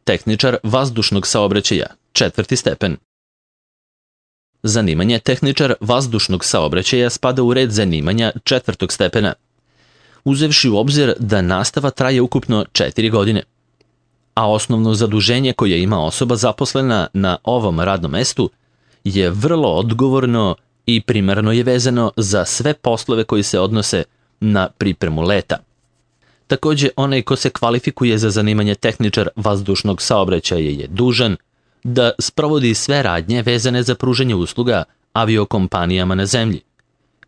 tehničar vazdušnog saobraćaja, 4. stepen. Zanimanje tehničar vazdušnog saobraćaja spada u red zanimanja 4. stepena, uzevši u obzir da nastava traje ukupno 4 godine, a osnovno zaduženje koje ima osoba zaposlena na ovom radnom mestu je vrlo odgovorno i primarno je vezano za sve poslove koji se odnose na pripremu leta. Takođe, onaj ko se kvalifikuje za zanimanje tehničar vazdušnog saobraćaja je dužan da sprovodi sve radnje vezane za pružanje usluga aviokompanijama na zemlji,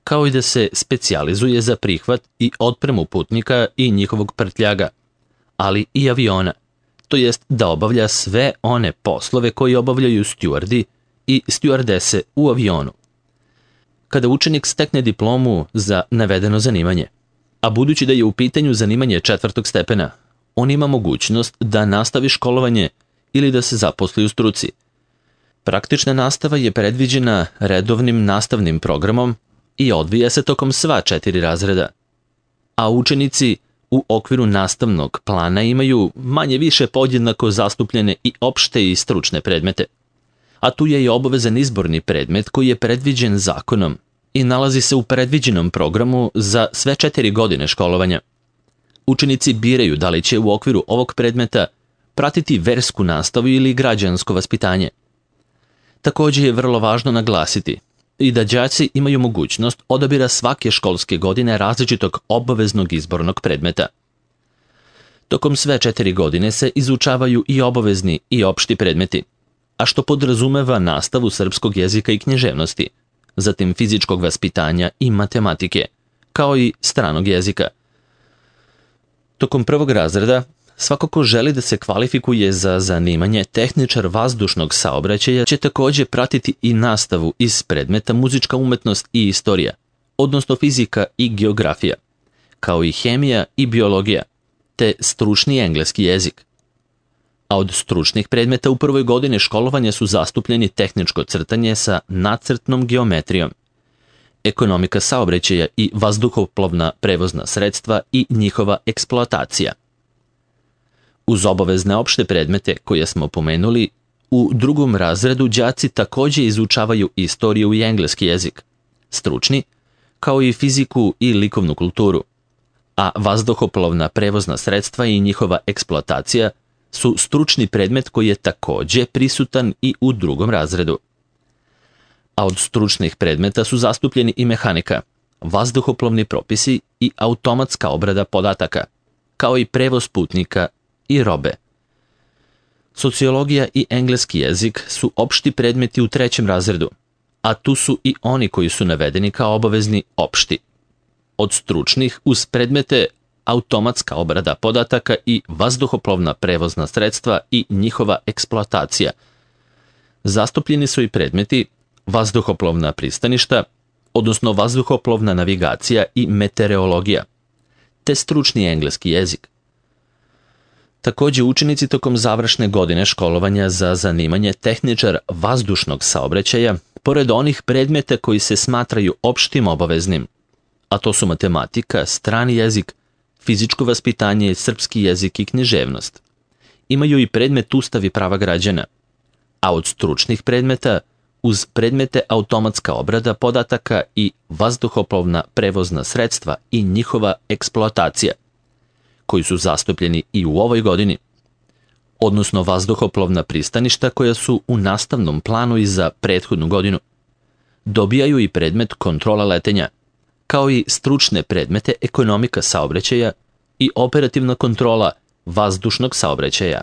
kao i da se specijalizuje za prihvat i otpremu putnika i njihovog prtljaga, ali i aviona, to jest da obavlja sve one poslove koji obavljaju stjuardi i stjuardese u avionu. Kada učenik stekne diplomu za navedeno zanimanje, a budući da je u pitanju zanimanje 4. stepena, on ima mogućnost da nastavi školovanje ili da se zaposli u struci. Praktična nastava je predviđena redovnim nastavnim programom i odvija se tokom sva 4 razreda, a učenici u okviru nastavnog plana imaju manje više podjednako zastupljene i opšte i stručne predmete. A tu je i obavezan izborni predmet koji je predviđen zakonom i nalazi se u predviđenom programu za sve 4 godine školovanja. Učenici biraju da li će u okviru ovog predmeta pratiti versku nastavu ili građansko vaspitanje. Takođe je vrlo važno naglasiti i da đaci imaju mogućnost odabira svake školske godine različitog obaveznog izbornog predmeta. Tokom sve 4 godine se izučavaju i obavezni i opšti predmeti, a što podrazumeva nastavu srpskog jezika i književnosti, zatim fizičkog vaspitanja i matematike, kao i stranog jezika. Tokom 1. razreda, svako ko želi da se kvalifikuje za zanimanje tehničar vazdušnog saobraćaja će takođe pratiti i nastavu iz predmeta muzička umetnost i istorija, odnosno fizika i geografija, kao i hemija i biologija, te stručni engleski jezik. A od stručnih predmeta u 1. godini školovanja su zastupljeni tehničko crtanje sa nacrtnom geometrijom, ekonomika saobraćaja i vazduhoplovna prevozna sredstva i njihova eksploatacija. Uz obavezne opšte predmete koje smo pomenuli, u 2. razredu đaci takođe izučavaju istoriju i engleski jezik, stručni, kao i fiziku i likovnu kulturu, a vazduhoplovna prevozna sredstva i njihova eksploatacija su stručni predmet koji je takođe prisutan i u 2. razredu. A od stručnih predmeta su zastupljeni i mehanika, vazduhoplovni propisi i automatska obrada podataka, kao i prevoz putnika i robe. Sociologija i engleski jezik su opšti predmeti u 3. razredu, a tu su i oni koji su navedeni kao obavezni opšti. Od stručnih uz predmete automatska obrada podataka i vazduhoplovna prevozna sredstva i njihova eksploatacija. Zastupljeni su i predmeti vazduhoplovna pristaništa, odnosno vazduhoplovna navigacija i meteorologija, te stručni engleski jezik. Takođe, učenici tokom završne godine školovanja za zanimanje tehničar vazdušnog saobraćaja, pored onih predmeta koji se smatraju opštim obaveznim, a to su matematika, strani jezik, fizičko vaspitanje, srpski jezik i književnost, imaju i predmet Ustav i prava građana, a od stručnih predmeta uz predmete automatska obrada podataka i vazduhoplovna prevozna sredstva i njihova eksploatacija, koji su zastupljeni i u ovoj godini, odnosno vazduhoplovna pristaništa koja su u nastavnom planu i za prethodnu godinu. Dobijaju i predmet kontrola letenja, kao i stručne predmete ekonomika saobraćaja i operativna kontrola vazdušnog saobraćaja.